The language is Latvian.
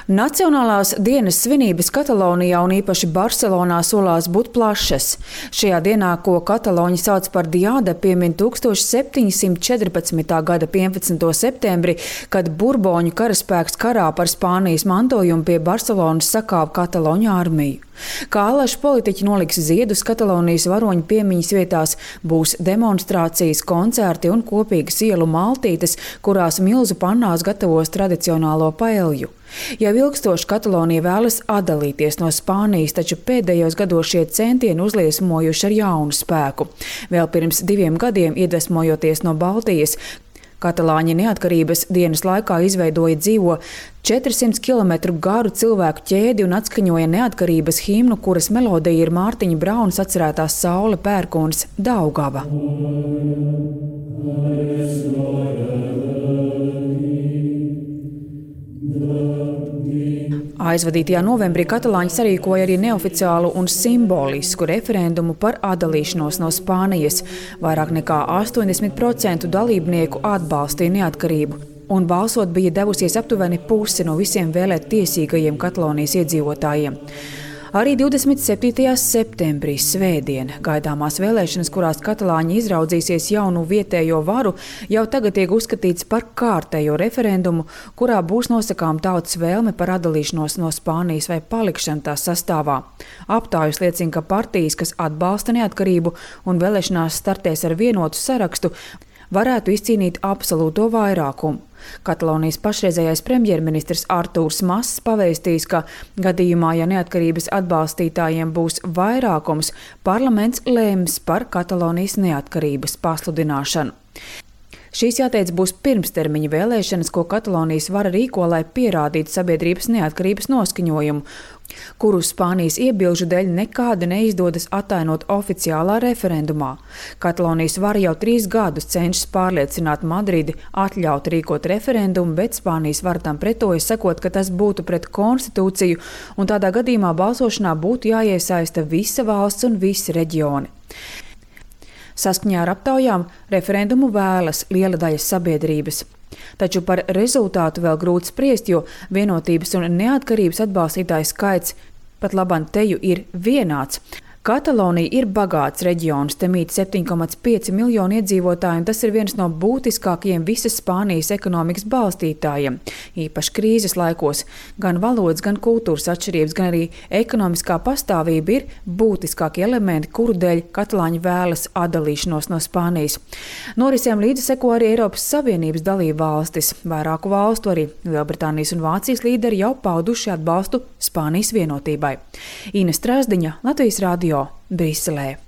Nacionālās dienas svinības Katalonijā un īpaši Barcelonā solās būt plašas. Šajā dienā, ko kataloņi sauc par Diada, piemin 1714. gada 15. septembri, kad Burboņu karaspēks karā par Spānijas mantojumu pie Barcelonas sakāva Kataloņu armiju. Kā alaši politiķi noliks ziedus Katalonijas varoņu piemiņas vietās, būs demonstrācijas, koncerti un kopīgas ielu maltītes, kurās milzu pannās gatavos tradicionālo paelju. Jau ilgstoši Katalonija vēlas atdalīties no Spānijas, taču pēdējos gados šie centieni uzliesmojuši ar jaunu spēku. Vēl pirms 2 gadiem, iedvesmojoties no Baltijas, katalāņi neatkarības dienas laikā izveidoja dzīvo 400 km garu cilvēku ķēdi un atskaņoja neatkarības himnu, kuras melodija ir Mārtiņa Braunas atcerētās Saule Pērkons Daugava. Aizvadītajā novembrī katalāņi sarīkoja arī neoficiālu un simbolisku referendumu par atdalīšanos no Spānijas. Vairāk nekā 80% dalībnieku atbalstīja neatkarību, un balsot bija devusies aptuveni puse no visiem vēlēt tiesīgajiem Katalonijas iedzīvotājiem. Arī 27. septembrī svētdien gaidāmās vēlēšanas, kurās katalāņi izraudzīsies jaunu vietējo varu, jau tagad tiek uzskatīts par kārtējo referendumu, kurā būs nosakām tautas vēlme par atdalīšanos no Spānijas vai palikšanu tās sastāvā. Aptājas liecina, ka partijas, kas atbalsta neatkarību un vēlēšanās startēs ar vienotu sarakstu, varētu izcīnīt absolūto vairākumu. Katalonijas pašreizējais premjerministrs Artūrs Mass pavēstījis, ka gadījumā, ja neatkarības atbalstītājiem būs vairākums, parlaments lēms par Katalonijas neatkarības pasludināšanu. Šīs, jāteic, būs pirmstermiņa vēlēšanas, ko Katalonijas vara rīko, lai pierādītu sabiedrības neatkarības noskaņojumu, kuru Spānijas iebilžu dēļ nekādi neizdodas atainot oficiālā referendumā. Katalonijas vara jau 3 gadus cenšas pārliecināt Madridi atļaut rīkot referendumu, bet Spānijas vara tam pretojas, sakot, ka tas būtu pret konstitūciju, un tādā gadījumā balsošanā būtu jāiesaista visa valsts un visi reģioni. Saskaņā ar aptaujām referendumu vēlas liela daļa sabiedrības. Taču par rezultātu vēl grūti spriest, jo vienotības un neatkarības atbalstītāju skaits pat labam teju ir vienāds. Katalonija ir bagāts reģions, te mīt 7,5 miljoni iedzīvotāji, un tas ir viens no būtiskākajiem visas Spānijas ekonomikas balstītājiem. Īpaši krīzes laikos gan valodas, gan kultūras atšķirības, gan arī ekonomiskā pastāvība ir būtiskākie elementi, kuru dēļ katalāņi vēlas atdalīšanos no Spānijas. Norisēm līdzi seko arī Eiropas Savienības dalību valstis. Vairāku valstu, arī Lielbritānijas un Vācijas līderi jau pauduši atbalstu Spānijas vienotībai. Ines Strasdiņa, Latvijas radio, Briselē.